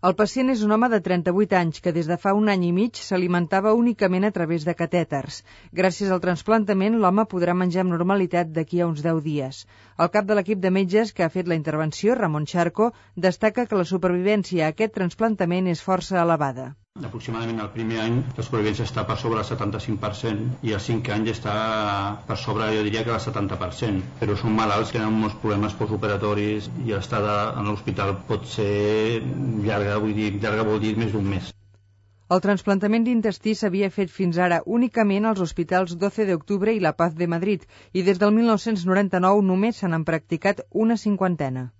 El pacient és un home de 38 anys que des de fa un any i mig s'alimentava únicament a través de catèters. Gràcies al trasplantament, l'home podrà menjar amb normalitat d'aquí a uns 10 dies. El cap de l'equip de metges que ha fet la intervenció, Ramon Charco, destaca que la supervivència a aquest trasplantament és força elevada. Aproximadament el primer any la supervivència està per sobre el 75% i al 5 anys està per sobre, jo diria que el 70%, però són malalts que tenen molts problemes postoperatoris i l'estada en l'hospital pot ser llarga, llarga vol dir més d'un mes. El trasplantament d'intestí s'havia fet fins ara únicament als hospitals 12 de octubre i La Paz de Madrid i des del 1999 només se n'han practicat una cinquantena.